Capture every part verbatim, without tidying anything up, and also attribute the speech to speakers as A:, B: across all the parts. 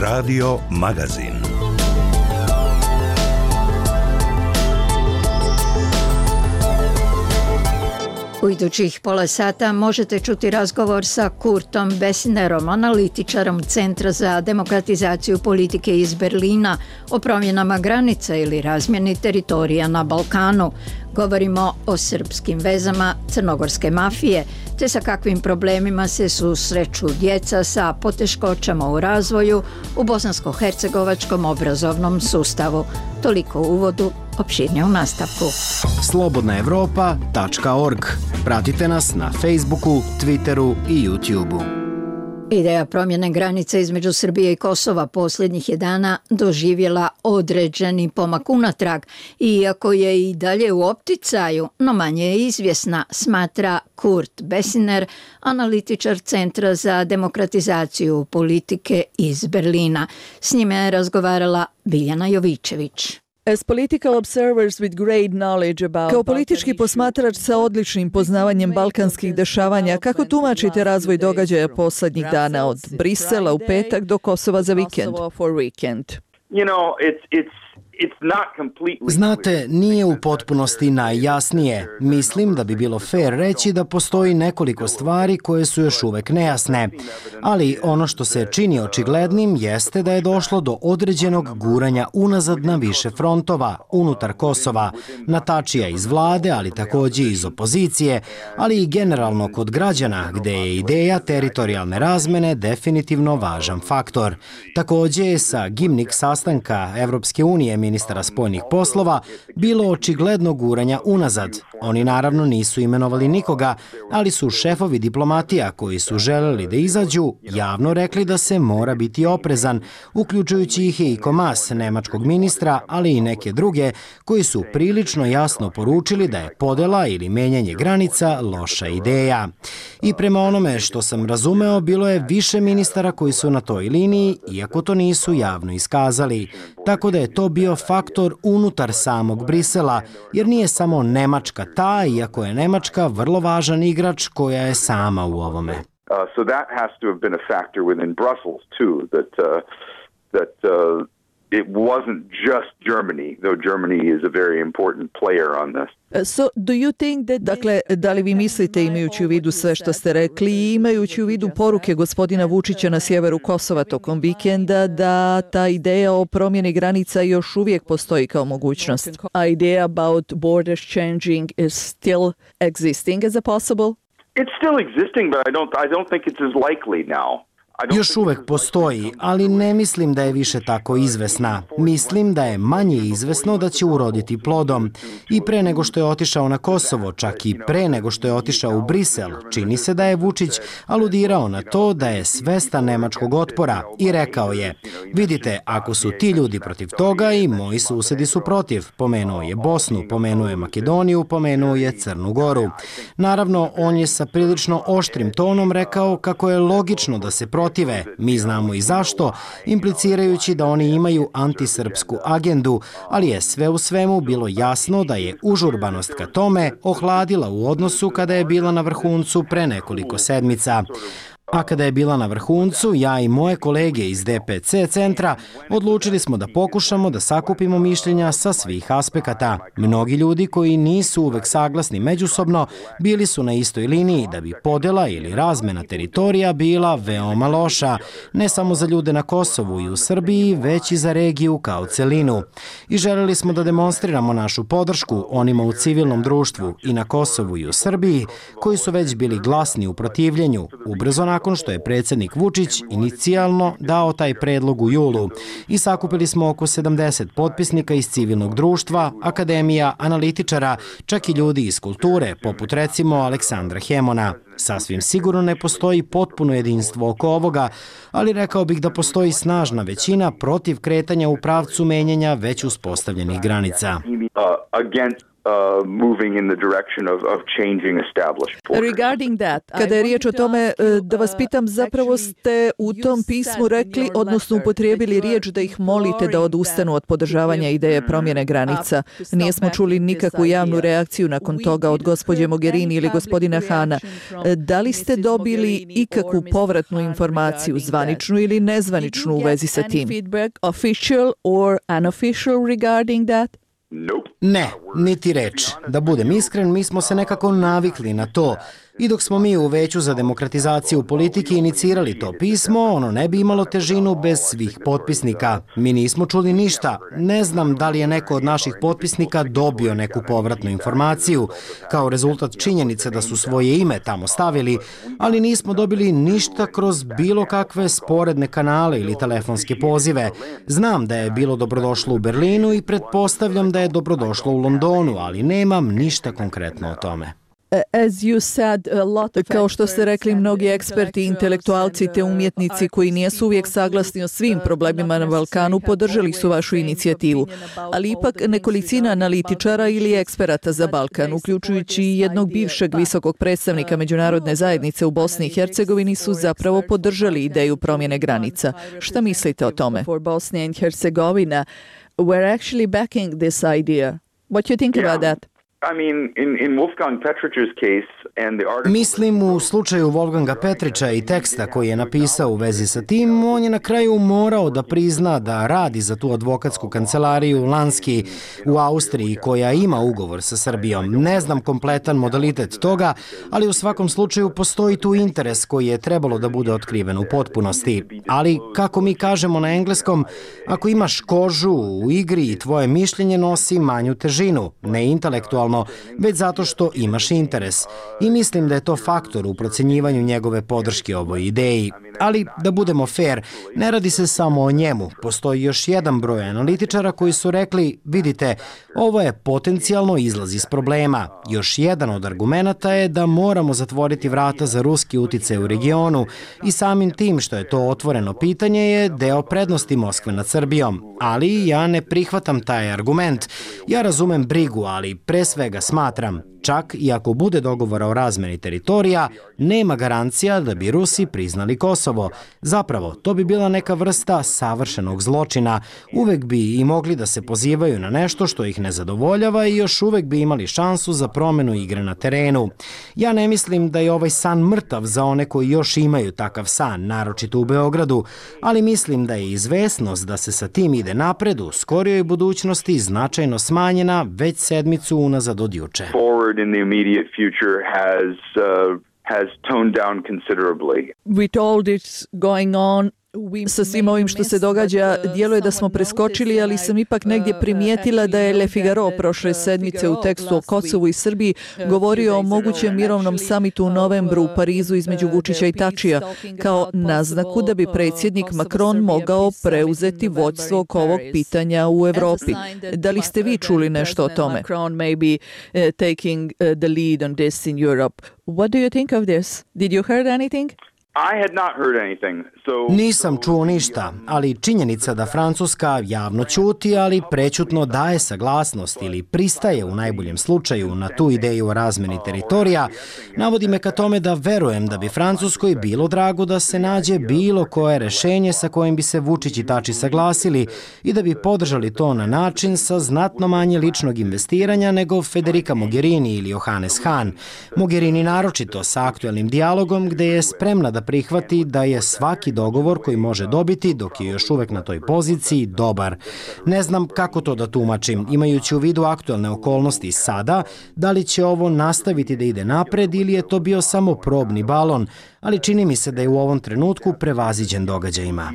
A: Radio Magazin.
B: U idućih pola sata možete čuti razgovor sa Kurtom Bessinerom, analitičarom Centra za demokratizaciju politike iz Berlina, o promjenama granica ili razmjeni teritorija na Balkanu. Govorimo o srpskim vezama crnogorske mafije, te sa kakvim problemima se susreću djeca sa poteškoćama u razvoju u bosansko-hercegovačkom obrazovnom sustavu. Toliko u uvodu, opširnije u nastavku.
C: slobodna evropa tačka org. Pratite nas na Facebooku, Twitteru i YouTubeu.
B: Ideja promjene granice između Srbije i Kosova posljednjih je dana doživjela određeni pomak unatrag, iako je i dalje u opticaju, no manje je izvjesna, smatra Kurt Bessiner, analitičar Centra za demokratizaciju politike iz Berlina. S njime je razgovarala Biljana Jovičević.
D: Kao politički posmatrač sa odličnim poznavanjem balkanskih dešavanja, kako tumačite razvoj događaja posljednjih dana od Brisela u petak do Kosova za vikend?
C: Znate, nije u potpunosti najjasnije. Mislim da bi bilo fair reći da postoji nekoliko stvari koje su još uvek nejasne. Ali ono što se čini očiglednim jeste da je došlo do određenog guranja unazad na više frontova, unutar Kosova, na tačija iz vlade, ali također iz opozicije, ali i generalno kod građana, gde je ideja teritorijalne razmene definitivno važan faktor. Također je sa Gimnik sastanka Evropske unije ministara spoljnih poslova bilo očigledno guranja unazad. Oni naravno nisu imenovali nikoga, ali su šefovi diplomatija koji su želeli da izađu javno rekli da se mora biti oprezan, uključujući ih i Komas, nemačkog ministra, ali i neke druge koji su prilično jasno poručili da je podela ili menjanje granica loša ideja. I prema onome što sam razumeo, bilo je više ministara koji su na toj liniji, iako to nisu javno iskazali. Tako da je to bio faktor unutar samog Brisela, jer nije samo Nemačka ta, iako je Nemačka vrlo važan igrač koja je sama u ovome.
E: Uh, so that has to have been a factor within Brussels too, that uh, that uh, it wasn't just Germany, though Germany is a very important player on this.
D: So, do you think that... Dakle, da li vi mislite, imajući u vidu sve što ste rekli i imajući u vidu poruke gospodina Vučića na sjeveru Kosova tokom vikenda, da ta ideja o promjeni granica još uvijek postoji kao mogućnost? Idea about borders changing is still existing as a possible?
E: It's still existing, but I don't I don't think it's as likely now.
C: Još uvek postoji, ali ne mislim da je više tako izvesna. Mislim da je manje izvesno da će uroditi plodom. I pre nego što je otišao na Kosovo, čak i pre nego što je otišao u Brisel, čini se da je Vučić aludirao na to da je svestan nemačkog otpora i rekao je: vidite, ako su ti ljudi protiv toga i moji susedi su protiv. Pomenuo je Bosnu, pomenuo je Makedoniju, pomenuo je Crnu Goru. Naravno, on je sa prilično oštrim tonom rekao kako je logično da se protiv protive, mi znamo i zašto, implicirajući da oni imaju antisrpsku agendu, ali je sve u svemu bilo jasno da je užurbanost ka tome ohladila u odnosu kada je bila na vrhuncu pre nekoliko sedmica. A kada je bila na vrhuncu, ja i moje kolege iz D P C centra odlučili smo da pokušamo da sakupimo mišljenja sa svih aspekata. Mnogi ljudi koji nisu uvek saglasni međusobno bili su na istoj liniji da bi podela ili razmena teritorija bila veoma loša, ne samo za ljude na Kosovu i u Srbiji, već i za regiju kao celinu. I želeli smo da demonstriramo našu podršku onima u civilnom društvu i na Kosovu i u Srbiji, koji su već bili glasni u protivljenju, ubrzo nakon što je predsjednik Vučić inicijalno dao taj predlog u julu. I sakupili smo oko sedamdeset potpisnika iz civilnog društva, akademija, analitičara, čak i ljudi iz kulture, poput recimo Aleksandra Hemona. Sasvim sigurno ne postoji potpuno jedinstvo oko ovoga, ali rekao bih da postoji snažna većina protiv kretanja u pravcu menjanja već uspostavljenih granica.
E: Uh, moving in the direction of, of changing established borders.
D: Regarding that, kada je riječ o tome, da vas pitam, zapravo ste u tom pismu rekli, odnosno upotrijebili riječ da ih molite da odustanu od podržavanja ideje promjene granica. Nijesmo čuli nikakvu javnu reakciju nakon toga od gospođe Mogherini ili gospodina Hana. Da li ste dobili ikakvu povratnu informaciju, zvaničnu ili nezvaničnu u vezi sa tim? Official or unofficial regarding that?
C: Ne, niti reč. Da budem iskren, mi smo se nekako navikli na to. I dok smo mi u Veću za demokratizaciju politike inicirali to pismo, ono ne bi imalo težinu bez svih potpisnika. Mi nismo čuli ništa. Ne znam da li je neko od naših potpisnika dobio neku povratnu informaciju, kao rezultat činjenice da su svoje ime tamo stavili, ali nismo dobili ništa kroz bilo kakve sporedne kanale ili telefonske pozive. Znam da je bilo dobrodošlo u Berlinu i pretpostavljam da je dobrodošlo u Londonu, ali nemam ništa konkretno o tome.
D: Kao što ste rekli, mnogi eksperti, intelektualci te umjetnici koji nijesu uvijek saglasni o svim problemima na Balkanu podržali su vašu inicijativu, ali ipak nekolicina analitičara ili eksperata za Balkan, uključujući jednog bivšeg visokog predstavnika međunarodne zajednice u Bosni i Hercegovini, su zapravo podržali ideju promjene granica. Šta mislite o tome? Bosnia and Herzegovina were actually backing this idea. What do you think about that?
E: I mean, in, in Wolfgang Petrich's case and the article...
C: Mislim u slučaju Wolfganga Petrića i teksta koji je napisao u vezi sa tim, on je na kraju morao da prizna da radi za tu advokatsku kancelariju Lanski u Austriji koja ima ugovor sa Srbijom. Ne znam kompletan modalitet toga, ali u svakom slučaju postoji tu interes koji je trebalo da bude otkriven u potpunosti. Ali, kako mi kažemo na engleskom, ako imaš kožu u igri i tvoje mišljenje nosi manju težinu, ne intelektualno, već zato što imaš interes. I mislim da je to faktor u procenjivanju njegove podrške ovoj ideji. Ali, da budemo fair, ne radi se samo o njemu. Postoji još jedan broj analitičara koji su rekli, vidite, ovo je potencijalno izlaz iz problema. Još jedan od argumenata je da moramo zatvoriti vrata za ruski uticaj u regionu i samim tim što je to otvoreno pitanje je deo prednosti Moskve nad Srbijom. Ali ja ne prihvatam taj argument. Ja razumem brigu, ali pre svega smatram, čak i ako bude dogovora o razmeni teritorija, nema garancija da bi Rusi priznali Kosovo. Zapravo, to bi bila neka vrsta savršenog zločina. Uvek bi i mogli da se pozivaju na nešto što ih ne zadovoljava i još uvek bi imali šansu za promenu igre na terenu. Ja ne mislim da je ovaj san mrtav za one koji još imaju takav san, naročito u Beogradu, ali mislim da je izvesnost da se sa tim ide napred u skorijoj budućnosti značajno smanjena već sedmicu unazad od juče.
E: In the immediate future has uh, has toned down considerably.
D: With all this going on, sa svim ovim što se događa, djeluje da smo preskočili, ali sam ipak negdje primijetila da je Le Figaro prošle sedmice u tekstu o Kosovu i Srbiji govorio o mogućem mirovnom samitu u novembru u Parizu između Vučića i Tačija, kao naznaku da bi predsjednik Macron mogao preuzeti vođstvo oko ovog pitanja u Evropi. Da li ste vi čuli nešto o tome? Taking the lead on this in Europe. What do you think of this? Did you heard anything?
E: I had not heard anything. So,
C: Nisam čuo ništa, ali činjenica da Francuska javno ćuti, ali prećutno daje saglasnost ili pristaje u najboljem slučaju na tu ideju o razmeni teritorija, navodi me ka tome da verujem da bi Francuskoj bilo drago da se nađe bilo koje rešenje sa kojim bi se Vučić i Tači saglasili i da bi podržali to na način sa znatno manje ličnog investiranja nego Federica Mogherini ili Johannes Hahn. Mogherini naročito sa aktuelnim dijalogom gde je spremna da prihvati da je svaki dogovor koji može dobiti dok je još uvek na toj poziciji dobar. Ne znam kako to da tumačim, imajući u vidu aktuelne okolnosti sada, da li će ovo nastaviti da ide napred ili je to bio samo probni balon, ali čini mi se da je u ovom trenutku prevaziđen događajima.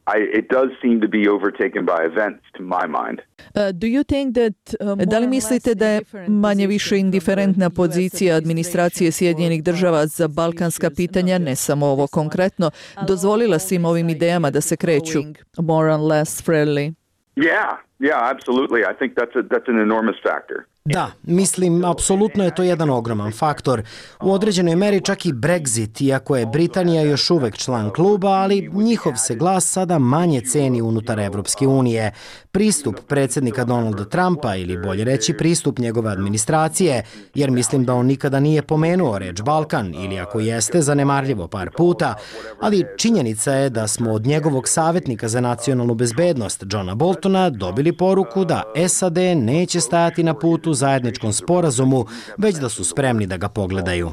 E: I, it does seem to be overtaken by events to my mind.
D: Uh, do you think that, uh, da li mislite da je manje više indiferentna pozicija administracije Sjedinjenih država za balkanska pitanja, ne samo ovo konkretno, dozvolila svim ovim idejama da se kreću more or less friendly?
E: Yeah, yeah, absolutely. I think that's a, that's an enormous factor.
C: Da, mislim, apsolutno je to jedan ogroman faktor. U određenoj meri čak i Brexit, iako je Britanija još uvek član kluba, ali njihov se glas sada manje ceni unutar Evropske unije. Pristup predsjednika Donalda Trumpa, ili bolje reći pristup njegove administracije, jer mislim da on nikada nije pomenuo reč Balkan, ili ako jeste, zanemarljivo par puta, ali činjenica je da smo od njegovog savjetnika za nacionalnu bezbednost, Johna Boltona, dobili poruku da S A D neće stajati na putu zajedničkom sporazumu, već da su spremni da ga pogledaju.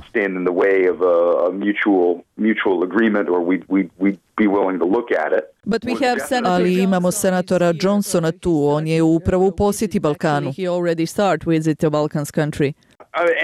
D: Ali imamo senatora Johnsona tu, on je upravo u posjeti Balkanu.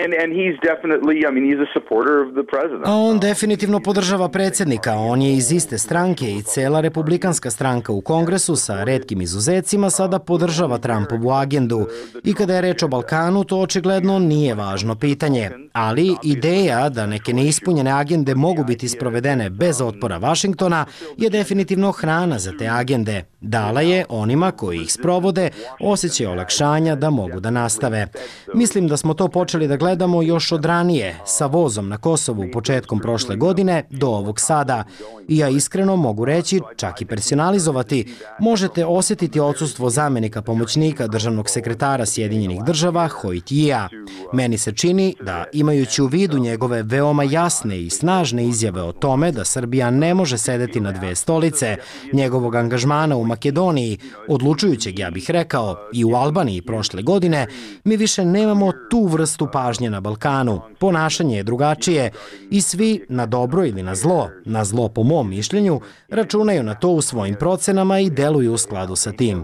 E: And, and he's definitely, I mean, he's a supporter of the president.
C: A on definitivno podržava predsjednika. On je iz iste stranke i cela republikanska stranka u Kongresu sa retkim izuzecima sada podržava Trumpovu agendu. I kada je reč o Balkanu, to očigledno nije važno pitanje. Ali ideja da neke neispunjene agende mogu biti sprovedene bez otpora Vašingtona je definitivno hrana za te agende. Dala je onima koji ih sprovode osjećaj olakšanja da mogu da nastave. Mislim da smo to počeli da gledamo još od ranije, sa vozom na Kosovu početkom prošle godine do ovog sada. I ja iskreno mogu reći, čak i personalizovati, možete osjetiti odsustvo zamenika pomoćnika državnog sekretara Sjedinjenih država Hojtija. Meni se čini da, imajući u vidu njegove veoma jasne i snažne izjave o tome da Srbija ne može sedeti na dve stolice, njegovog angažmana u Makedoniji, odlučujućeg, ja bih rekao, i u Albaniji prošle godine, mi više nemamo tu vrstu pažnje na Balkanu. Ponašanje je drugačije i svi, na dobro ili na zlo, na zlo po mom mišljenju, računaju na to u svojim procenama i deluju u skladu sa tim.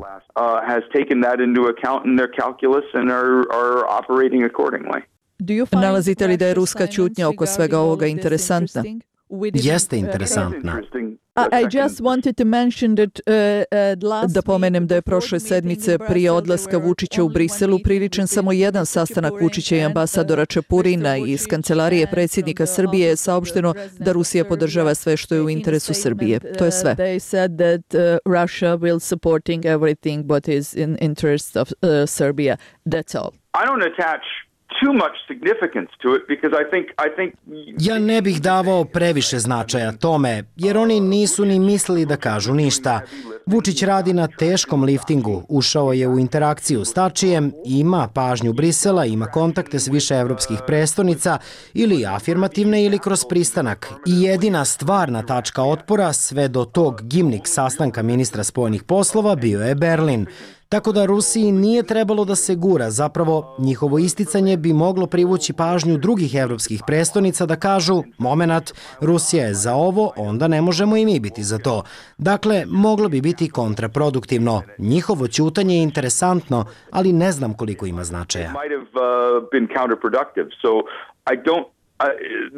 D: Nalazite li da je ruska ćutnja oko svega ovoga interesantna?
C: Jeste interesantna.
D: Da pomenem da je prošle sedmice prije odlaska Vučića u Briselu priličen samo jedan sastanak Vučića i ambasadora Čepurina i iz kancelarije predsjednika Srbije je saopšteno da Rusija podržava sve što je u interesu Srbije. To je sve. They said that Russia will supporting everything but is in interest of Serbia. That's all.
E: I don't attach too much significance to it because I think I think
C: Ja ne bih davao previše značaja tome, jer oni nisu ni mislili da kažu ništa. Vučić radi na teškom liftingu, ušao je u interakciju s Tačijem, ima pažnju Brisela, ima kontakte s više evropskih prestonica, ili afirmativne ili kroz pristanak. I jedina stvarna tačka otpora sve do tog gimnik sastanka ministra spoljnih poslova bio je Berlin. Tako da Rusiji nije trebalo da se gura, zapravo njihovo isticanje bi moglo privući pažnju drugih evropskih prestonica da kažu, momenat, Rusija je za ovo, onda ne možemo i mi biti za to. Dakle, moglo bi biti kontraproduktivno. Njihovo ćutanje je interesantno, ali ne znam koliko ima značaja.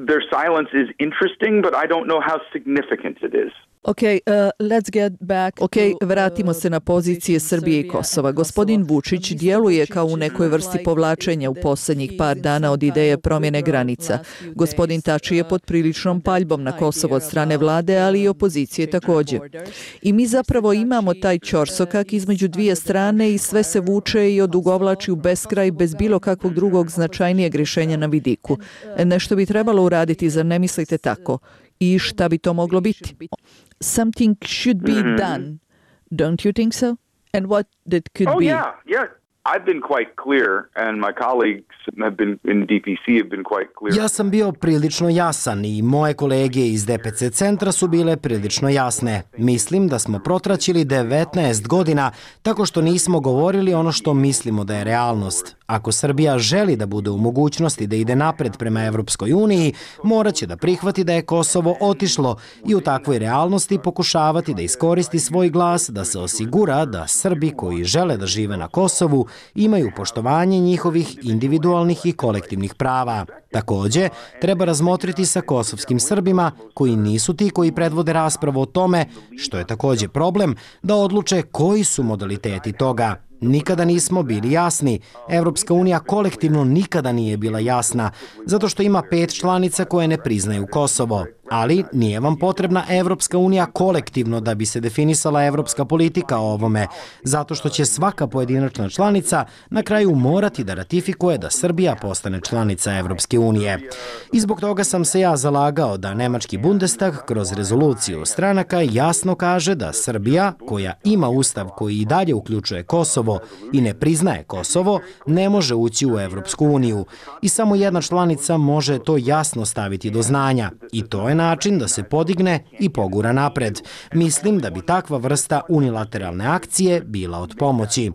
E: Their silence is interesting, but I don't know how significant it is.
D: Okay, uh, let's get back ok, vratimo se na pozicije Srbije i Kosova. Gospodin Vučić djeluje kao u nekoj vrsti povlačenja u posljednjih par dana od ideje promjene granica. Gospodin Tači je pod priličnom paljbom na Kosovo od strane vlade, ali i opozicije također. I mi zapravo imamo taj ćorsokak između dvije strane i sve se vuče i odugovlači u beskraj bez bilo kakvog drugog značajnijeg rješenja na vidiku. Nešto bi trebalo uraditi, zar ne mislite tako? I šta bi to moglo biti? Something should be mm-hmm. done, don't you think so? And what that could
E: oh,
D: be?
E: Oh yeah, yeah. I've been quite clear and my colleagues have been in D P C have been quite clear.
C: Ja sam bio prilično jasan i moje kolege iz D P C centra su bile prilično jasne. Mislim da smo protraćili devetnaest godina tako što nismo govorili ono što mislimo da je realnost. Ako Srbija želi da bude u mogućnosti da ide napred prema Evropskoj uniji, morat će da prihvati da je Kosovo otišlo i u takvoj realnosti pokušavati da iskoristi svoj glas, da se osigura da Srbi koji žele da žive na Kosovu imaju poštovanje njihovih individualnih i kolektivnih prava. Također, treba razmotriti sa kosovskim Srbima, koji nisu ti koji predvode raspravu o tome, što je također problem, da odluče koji su modaliteti toga. Nikada nismo bili jasni. Evropska unija kolektivno nikada nije bila jasna, zato što ima pet članica koje ne priznaju Kosovo. Ali nije vam potrebna Evropska unija kolektivno da bi se definisala evropska politika o ovome, zato što će svaka pojedinačna članica na kraju morati da ratifikuje da Srbija postane članica Evropske unije. I zbog toga sam se ja zalagao da nemački Bundestag kroz rezoluciju stranaka jasno kaže da Srbija, koja ima ustav koji i dalje uključuje Kosovo i ne priznaje Kosovo, ne može ući u Evropsku uniju. I samo jedna članica može to jasno staviti do znanja. I to je način da se podigne i pogura napred. Mislim da bi takva vrsta unilateralne akcije bila od pomoći.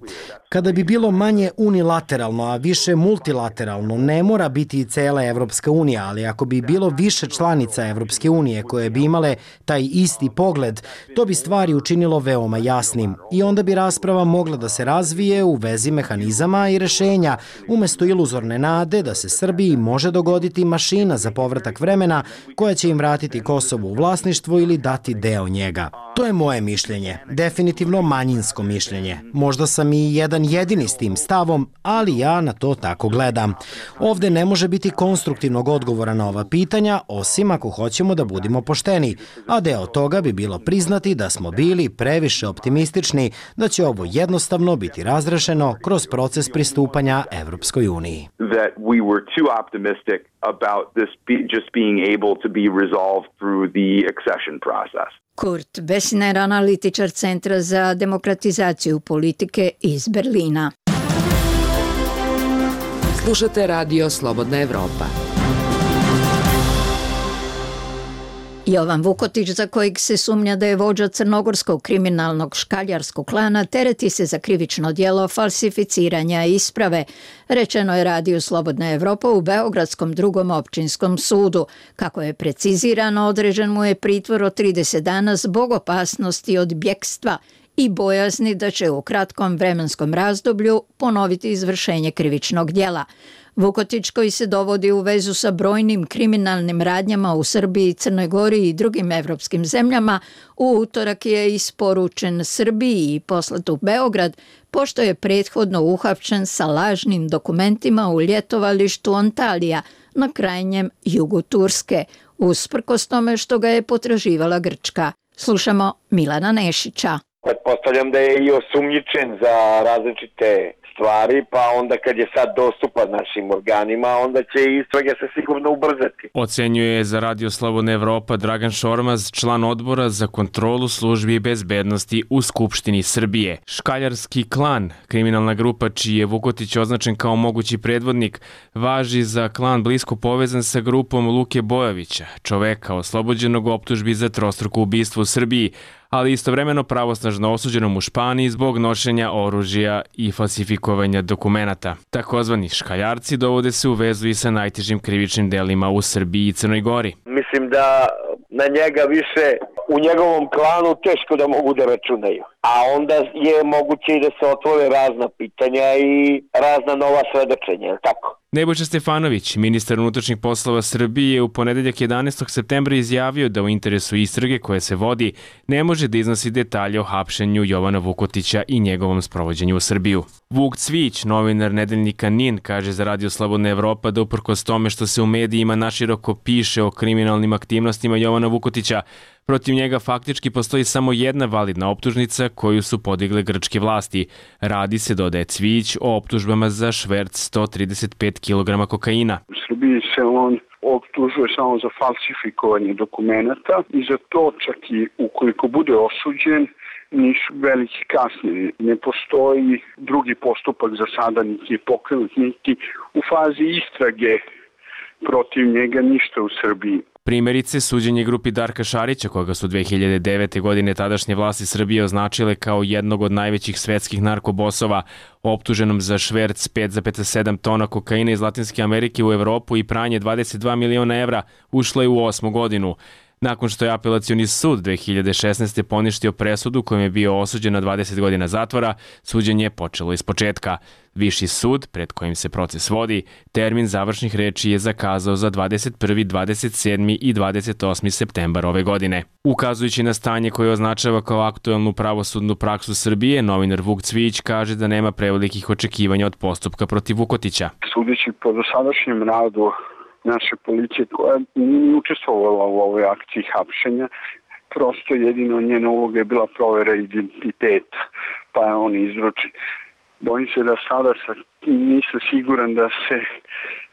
C: Kada bi bilo manje unilateralno, a više multilateralno, ne mora biti i cela Evropska unija, ali ako bi bilo više članica Evropske unije koje bi imale taj isti pogled, to bi stvari učinilo veoma jasnim. I onda bi rasprava mogla da se razvije u vezi mehanizama i rešenja, umesto iluzorne nade da se Srbiji može dogoditi mašina za povratak vremena koja će im vratiti Kosovo u vlasništvo ili dati deo njega. To je moje mišljenje, definitivno manjinsko mišljenje. Možda sam i jedan jedini s tim stavom, ali ja na to tako gledam. Ovde ne može biti konstruktivnog odgovora na ova pitanja, osim ako hoćemo da budemo pošteni, a deo toga bi bilo priznati da smo bili previše optimistični da će ovo jednostavno biti razrešeno kroz proces pristupanja Evropskoj uniji.
E: That we were too optimistic about this be, just being able to be resolved through the accession process.
B: Kurt Bessner, analitičar Centra za demokratizaciju politike iz Berlina.
A: Slušate Radio Slobodna Evropa.
B: Jovan Vukotić, za kojeg se sumnja da je vođa crnogorskog kriminalnog škaljarskog klana, tereti se za krivično djelo falsificiranja isprave. Rečeno je Radiju Slobodna Evropa u Beogradskom drugom općinskom sudu. Kako je precizirano, određen mu je pritvor od trideset dana zbog opasnosti od bjekstva i bojazni da će u kratkom vremenskom razdoblju ponoviti izvršenje krivičnog djela. Vukotić, koji se dovodi u vezu sa brojnim kriminalnim radnjama u Srbiji, Crnoj Gori i drugim evropskim zemljama, u utorak je isporučen Srbiji i poslat u Beograd, pošto je prethodno uhapšen sa lažnim dokumentima u ljetovalištu Antalija na krajnjem jugu Turske, usprkos tome što ga je potraživala Grčka. Slušamo Milana Nešića.
F: Pretpostavljam da je i osumnjičen za različite stvari, pa onda kad je sad dostupan našim organima, onda će istrage se sigurno ubrzati.
G: Ocenjuje za Radio Slobodna Evropa Dragan Šormaz, član odbora za kontrolu službi i bezbednosti u Skupštini Srbije. Škaljarski klan, kriminalna grupa čiji je Vukotić označen kao mogući predvodnik, važi za klan blisko povezan sa grupom Luke Bojovića, čoveka oslobođenog optužbi za trostruko ubistvo u Srbiji, ali istovremeno pravosnažno osuđenom u Španiji zbog nošenja oružja i falsifikovanja dokumenata. Takozvani škaljarci dovode se u vezu i sa najtežim krivičnim delima u Srbiji i Crnoj Gori.
F: Mislim da na njega više u njegovom klanu teško da mogu da računaju. A onda je moguće i da se otvore razna pitanja i razna nova svedočenja, je li tako?
G: Nebojša Stefanović, ministar unutrašnjih poslova Srbije, je u ponedeljak jedanaestog septembra izjavio da u interesu istrage koje se vodi ne može da iznosi detalje o hapšenju Jovana Vukotića i njegovom sprovođenju u Srbiju. Vuk Cvić, novinar nedeljnika Nin, kaže za Radio Slobodna Evropa da uprkos tome što se u medijima naširoko piše o kriminalnim aktivnostima Jovana Vukotića, protiv njega faktički postoji samo jedna validna optužnica koju su podigle grčke vlasti. Radi se, dodaje Cvić, o optužbama za šverc sto trideset pet kilograma kokaina.
H: U Srbiji se on optužuje samo za falsifikovanje dokumenata i za to čak i ukoliko bude osuđen nisu veliki kasnije. Ne postoji drugi postupak za sada, niti je pokrenut, niti u fazi istrage protiv njega ništa u Srbiji.
G: Primjerice, suđenje grupi Darka Šarića, koga su dve hiljade devete. godine tadašnje vlasti Srbije označile kao jednog od najvećih svetskih narkobosova, optuženom za šverc pet zarez sedam tona kokaina iz Latinske Amerike u Evropu i pranje dvadeset dva miliona evra, ušlo je u osmu godinu. Nakon što je apelacioni sud dve hiljade šesnaeste. poništio presudu kojom je bio osuđen na dvadeset godina zatvora, suđenje je počelo iz početka. Viši sud, pred kojim se proces vodi, termin završnih reči je zakazao za dvadeset prvi, dvadeset sedmi i dvadeset osmi septembar ove godine. Ukazujući na stanje koje označava kao aktuelnu pravosudnu praksu Srbije, novinar Vuk Cvijić kaže da nema prevelikih očekivanja od postupka protiv Vukotića.
H: Sudeći po dosadašnjem radu naše policije koja nije učestvovala u ovoj akciji hapšenja, prosto jedino njena uloga je bila provera identiteta, pa je on izručen. Bojim se da sada sa, nisam siguran da se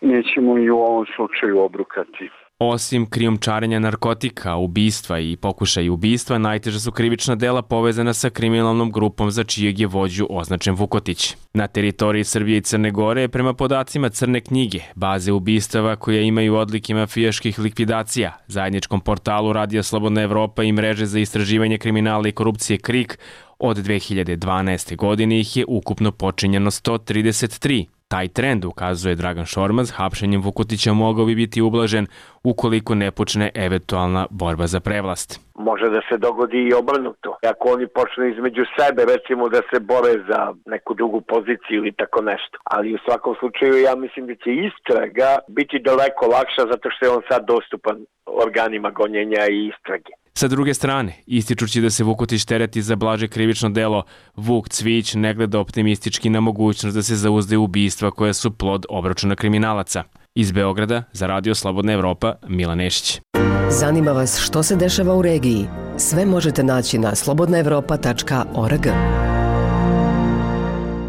H: nećemo i u ovom slučaju obrukati.
G: Osim krijumčarenja narkotika, ubistva i pokušaja ubistva, najteža su krivična dela povezana sa kriminalnom grupom za čijeg je vođu označen Vukotić. Na teritoriji Srbije i Crne Gore, prema podacima Crne knjige, baze ubistava koje imaju odlike mafijaških likvidacija, zajedničkom portalu Radio Slobodna Evropa i mreže za istraživanje kriminala i korupcije KRIK, od dve hiljade dvanaeste. godine ih je ukupno počinjeno sto trideset tri. Taj trend, ukazuje Dragan Šormaz, hapšenjem Vukotića mogao bi biti ublažen ukoliko ne počne eventualna borba za prevlast.
F: Može da se dogodi i obrnuto. Ako oni počnu između sebe, recimo da se bore za neku drugu poziciju ili tako nešto. Ali u svakom slučaju ja mislim da će istraga biti daleko lakša zato što je on sad dostupan organima gonjenja i istrage.
G: Sa druge strane, ističući da se Vukotić tereti za blaže krivično delo, Vuk Cvijić ne gleda optimistički na mogućnost da se zauzde ubistva koja su plod obračuna kriminalaca. Iz Beograda, za Radio Slobodna Evropa, Milan Nešić.
A: Zanima vas što se dešava u regiji? Sve možete naći na slobodna evropa tačka org.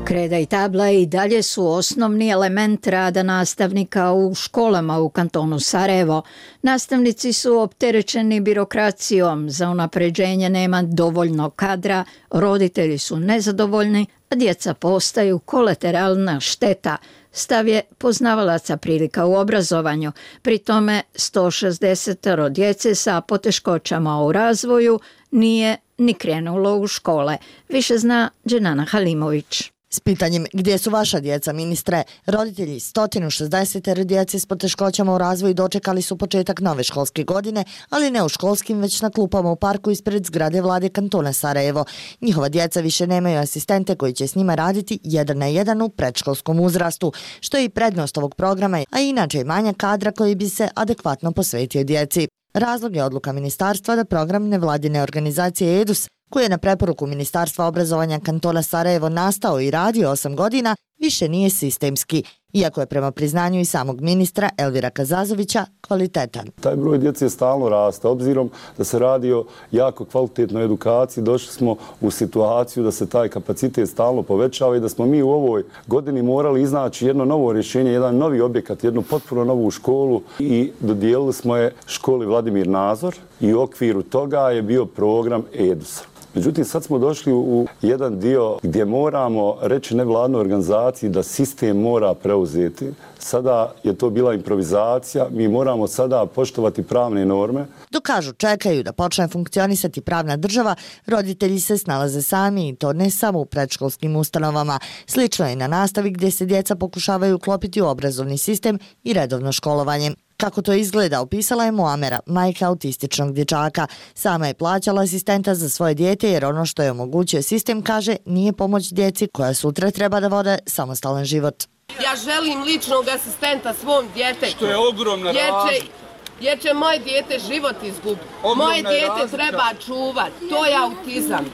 B: Kreda i tabla i dalje su osnovni element rada nastavnika u školama u kantonu Sarajevo. Nastavnici su opterećeni birokracijom, za unapređenje nema dovoljno kadra, roditelji su nezadovoljni, a djeca postaju kolateralna šteta. Stav je poznavalaca prilika u obrazovanju. Pri tome sto šezdeset djece sa poteškoćama u razvoju nije ni krenulo u škole. Više zna Dženana Halimović.
I: S pitanjem gdje su vaša djeca, ministre, roditelji sto šezdeset djece s poteškoćama u razvoju dočekali su početak nove školske godine, ali ne u školskim, već na klupama u parku ispred zgrade vlade kantona Sarajevo. Njihova djeca više nemaju asistente koji će s njima raditi jedan na jedan u predškolskom uzrastu, što je i prednost ovog programa, a inače i manja kadra koji bi se adekvatno posvetio djeci. Razlog je odluka ministarstva da program nevladine organizacije EDUS, koji je na preporuku Ministarstva obrazovanja kantona Sarajevo nastao i radio osam godina, više nije sistemski, iako je prema priznanju i samog ministra Elvira Kazazovića kvalitetan.
J: Taj broj djece stalno raste, obzirom da se radi o jako kvalitetnoj edukaciji, došli smo u situaciju da se taj kapacitet stalno povećava i da smo mi u ovoj godini morali iznaći jedno novo rješenje, jedan novi objekat, jednu potpuno novu školu i dodijelili smo je školi Vladimir Nazor i u okviru toga je bio program EDUS. Međutim, sad smo došli u jedan dio gdje moramo reći nevladnoj organizaciji da sistem mora preuzeti. Sada je to bila improvizacija, mi moramo sada poštovati pravne norme.
I: Dok kažu čekaju da počne funkcionisati pravna država, roditelji se snalaze sami i to ne samo u predškolskim ustanovama. Slično je i na nastavi gdje se djeca pokušavaju uklopiti u obrazovni sistem i redovno školovanje. Kako to izgleda, opisala je Muamera, majka autističnog dječaka. Sama je plaćala asistenta za svoje dijete jer ono što je omogućio sistem, kaže, nije pomoć djeci koja sutra treba da vode samostalan život.
K: Ja želim ličnog asistenta svom djetetu.
L: Što je ogromna razlika.
K: Jer će moje dijete život izgubiti. Moje dijete treba čuvati. To je autizam.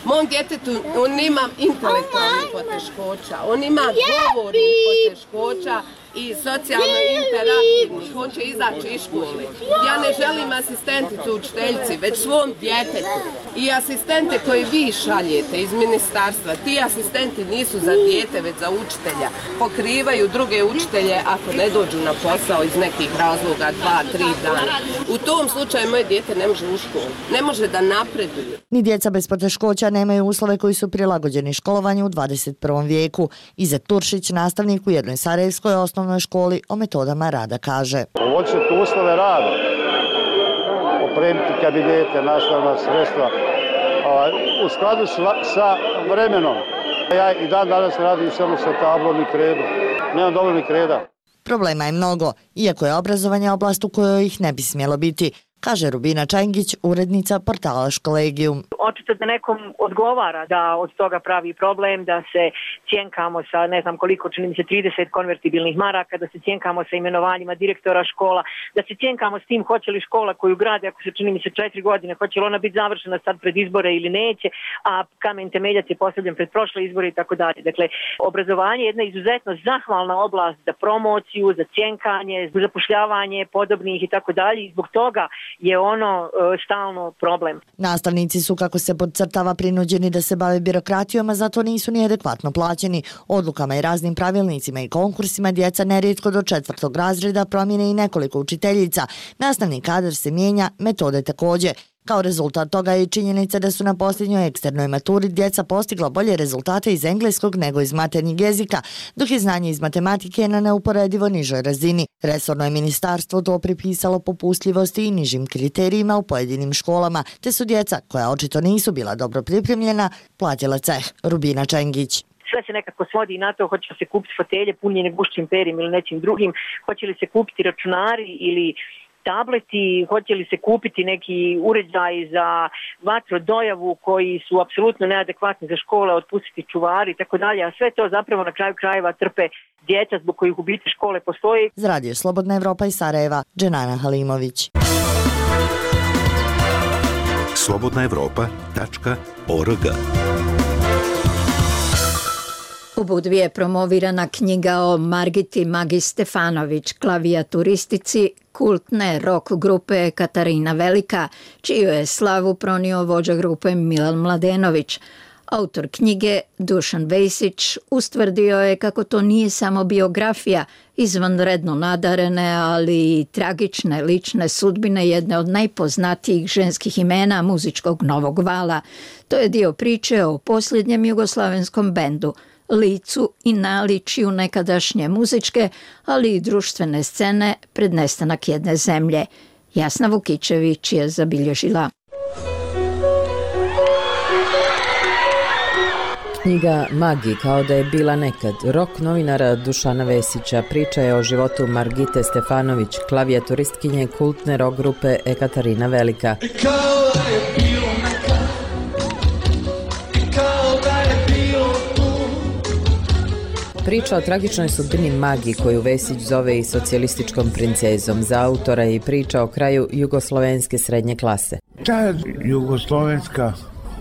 K: Mom djetetu, on ima intelektualnih poteškoća, on ima govornih poteškoća i socijalno interaktivnih, on će izaći iz škole. Ja ne želim asistenticu učiteljici, već svom djetetu. I asistente koje vi šaljete iz ministarstva, ti asistenti nisu za dijete, već za učitelja. Pokrivaju druge učitelje ako ne dođu na posao iz nekih razloga, dva, tri dana. U tom slučaju moje dijete ne može u školu, ne može da napreduje.
I: Ni djeca bez poteškoća nemaju uslove koji su prilagođeni školovanju u dvadeset prvom vijeku. Izet Turšić, nastavnik u jednoj sarajevskoj osnovnoj školi, o metodama rada kaže.
M: Poboljšati uslove rada, opremiti kabinete, nastavna sredstva, u skladu sa vremenom. Ja i dan danas radim samo sa tablom i kredom. Nemam dovoljno kreda.
I: Problema je mnogo, iako je obrazovanje oblast u kojoj ih ne bi smjelo biti. kaže Rubina Čengić, urednica portala Školegijum.
L: Očito da nekom odgovara da od toga pravi problem, da se cjenkamo sa ne znam koliko, čini mi se trideset konvertibilnih maraka, da se cjenkamo sa imenovanjima direktora škola, da se cjenkamo s tim hoće li škola koju grade, ako se čini mi se četiri godine, hoće li ona biti završena sad pred izbore ili neće, a kamen temeljac je postavljen pred prošle izbore i tako dalje. Dakle, obrazovanje je jedna izuzetno zahvalna oblast za promociju, za cjenkanje, za zapošljavanje podobnih i tako dalje i zbog toga je ono e, stalno problem.
I: Nastavnici su, kako se podcrtava, prinuđeni da se bave birokratijom, a zato nisu ni adekvatno plaćeni. Odlukama i raznim pravilnicima i konkursima djeca nerijetko do četvrtog razreda promijene i nekoliko učiteljica. Nastavni kadar se mijenja, metode također. Kao rezultat toga je i činjenica da su na posljednjoj eksternoj maturi djeca postigla bolje rezultate iz engleskog nego iz maternjeg jezika, dok je znanje iz matematike na neuporedivo nižoj razini. Resorno je ministarstvo to pripisalo popustljivosti i nižim kriterijima u pojedinim školama, te su djeca, koja očito nisu bila dobro pripremljena, platila ceh. Rubina Čengić.
L: Sve se nekako svodi na to hoće li se kupiti fotelje punjene gušćim perim ili nečim drugim, hoće li se kupiti računari ili tableti, hoće li se kupiti neki uređaj za vatrodojavu koji su apsolutno neadekvatni za škole, otpustiti čuvari i tako dalje, a sve to zapravo na kraju krajeva trpe djeca zbog kojih u biti škole postoji.
I: Za Radio Slobodna Evropa iz Sarajeva, Dženana Halimović.
N: slobodna evropa tačka org.
B: U Budvi je promovirana knjiga o Margiti Magi Stefanović, klavijaturistici kultne rock grupe Katarina Velika, čiju je slavu pronio vođa grupe Milan Mladenović. Autor knjige, Dušan Vejsić, ustvrdio je kako to nije samo biografija izvanredno nadarene, ali i tragične lične sudbine jedne od najpoznatijih ženskih imena muzičkog novog vala. To je dio priče o posljednjem jugoslavenskom bendu, licu i naličju nekadašnje muzičke, ali i društvene scene pred nestanak jedne zemlje. Jasna Vukićević je zabilježila.
O: Knjiga Magi kao da je bila nekad. Rok novinara Dušana Vesića priča je o životu Margite Stefanović, klavijaturistkinje kultne rock grupe Katarina Velika. Priča o tragičnoj sudbini Magi, koju Vesić zove i socijalističkom princezom. Za autora je i priča o kraju jugoslovenske srednje klase.
P: Ta jugoslovenska,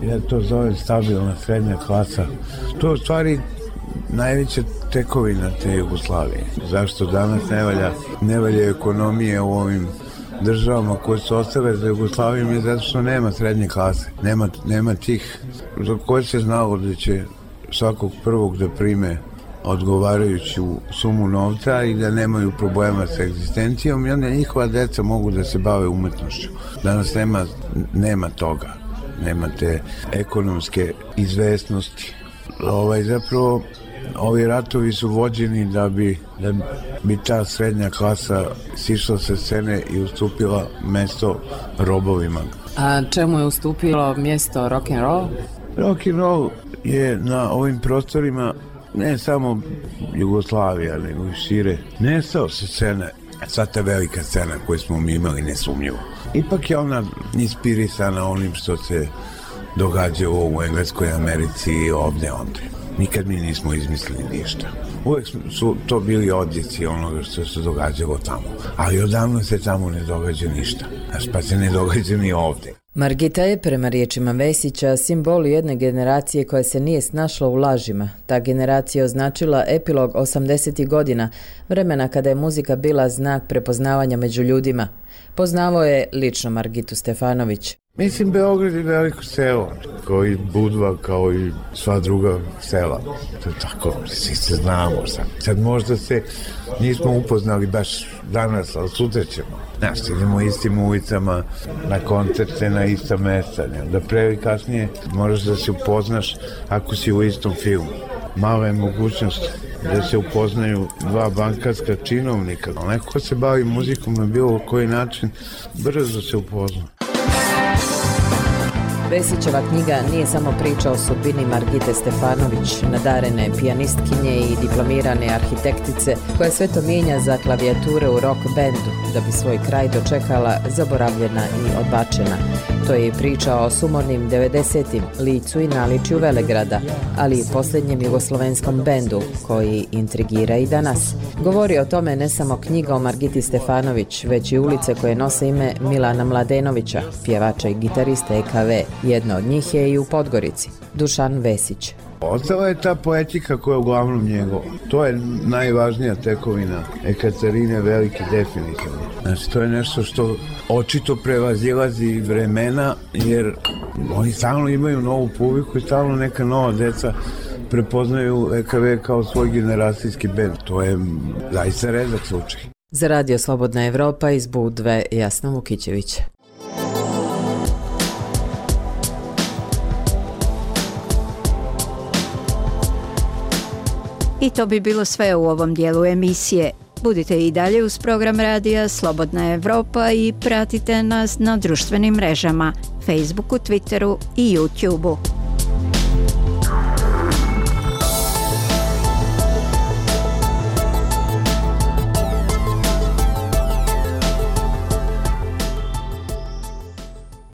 P: ja to zovem stabilna srednja klasa, to je u stvari najveća tekovina te Jugoslavije. Zašto danas ne valja, ne valja ekonomije u ovim državama koje su ostale za Jugoslavijom je zato što nema srednje klase, nema, nema tih za koje se znalo da će svakog prvog da prime odgovarajuću sumu novca i da nemaju problema sa egzistencijom i onda njihova deca mogu da se bave umetnošću. Danas nema, nema toga, nema te ekonomske izvesnosti. Ovaj, zapravo, ovi ratovi su vođeni da bi, da bi ta srednja klasa sišla sa scene i ustupila mesto robovima.
O: A čemu je ustupilo mjesto rock'n'roll?
P: Rock'n'roll je na ovim prostorima ne samo Jugoslavija, nego i šire, nestao se scena, sva ta velika scena koju smo mi imali nesumnjivo. Ipak je ona inspirisana onim što se događalo u Engleskoj, Americi i ovdje ondje. Nikad mi nismo izmislili ništa. Uvijek su to bili odjeci onoga što se događalo tamo. Ali odavno se tamo ne događa ništa. Znaš, pa se ne događa ni ovdje.
O: Margita je, prema riječima Vesića, simbol jedne generacije koja se nije snašla u lažima. Ta generacija je označila epilog osamdesetih godina, vremena kada je muzika bila znak prepoznavanja među ljudima. Poznavao je lično Margitu Stefanović.
P: Mislim, Beograd je veliko selo, kao i Budva, kao i sva druga sela. To je tako, svi se znamo sad. Sad možda se nismo upoznali baš danas, ali sutra ćemo. Znaš, idemo istim ulicama, na koncerte, na ista mesta. Da pre i kasnije moraš da se upoznaš ako si u istom filmu. Mala je mogućnost da se upoznaju dva bankarska činovnika. Neko ko se bavi muzikom na bilo koji način, brzo se upozna.
O: Vesićeva knjiga nije samo priča o sudbini Margite Stefanović, nadarene pijanistkinje i diplomirane arhitektice koja sve to mijenja za klavijature u rock bandu da bi svoj kraj dočekala zaboravljena i odbačena. To je i priča o sumornim devedesetim, licu i naličju Velegrada, ali i posljednjem jugoslovenskom bendu koji intrigira i danas. Govori o tome ne samo knjiga o Margiti Stefanović, već i ulice koje nose ime Milana Mladenovića, pjevača i gitariste E K V. Jedna od njih je i u Podgorici. Dušan Vesić.
P: Ostala je ta poetika koja je uglavnom njegova. To je najvažnija tekovina Ekaterine Velike, definitivno. Znači, to je nešto što očito prevazilazi vremena, jer oni stalno imaju novu publiku i stalno neka nova deca prepoznaju E K V kao svoj generacijski bend. To je zaista redak slučaj.
O: Za Radio Slobodna Evropa iz Budve, Jasna Vukićević.
B: I to bi bilo sve u ovom dijelu emisije. Budite i dalje uz program radija Slobodna Evropa i pratite nas na društvenim mrežama, Facebooku, Twitteru i YouTubeu.